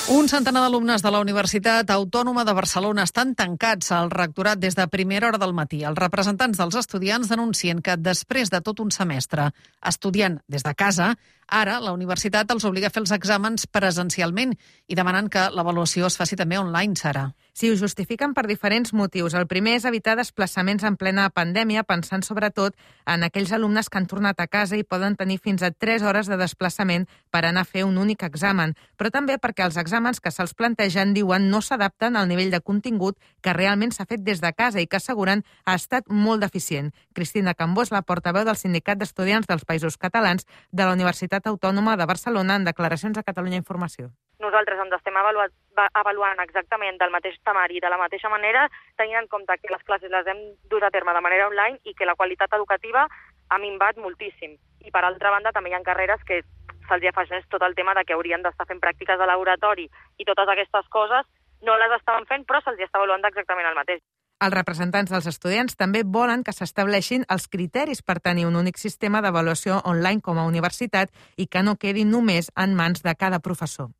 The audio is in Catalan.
Un centenar d'alumnes de la Universitat Autònoma de Barcelona estan tancats al rectorat des de primera hora del matí. Els representants dels estudiants denuncien que després de tot un semestre estudiant des de casa, ara la universitat els obliga a fer els exàmens presencialment i demanen que l'avaluació es faci també online, Sara. Sí, ho justifiquen per diferents motius. El primer és evitar desplaçaments en plena pandèmia, pensant sobretot en aquells alumnes que han tornat a casa i poden tenir fins a 3 hores de desplaçament per anar a fer un únic examen, però també perquè els exàmens que se'ls plantegen, diuen, no s'adapten al nivell de contingut que realment s'ha fet des de casa i que asseguren ha estat molt deficient. Cristina Cambó és la portaveu del Sindicat d'Estudiants dels Països Catalans de la Universitat Autònoma de Barcelona en declaracions a Catalunya Informació. Nosaltres ens estem avaluant exactament del mateix temari i de la mateixa manera, tenint en compte que les classes les hem dut a terme de manera online i que la qualitat educativa ha minvat moltíssim. I per altra banda també hi ha carreres que se'ls afegeix tot el tema de que haurien d'estar fent pràctiques de laboratori i totes aquestes coses no les estaven fent, però se'ls està avaluant exactament el mateix. Els representants dels estudiants també volen que s'estableixin els criteris per tenir un únic sistema d'avaluació online com a universitat i que no quedi només en mans de cada professor.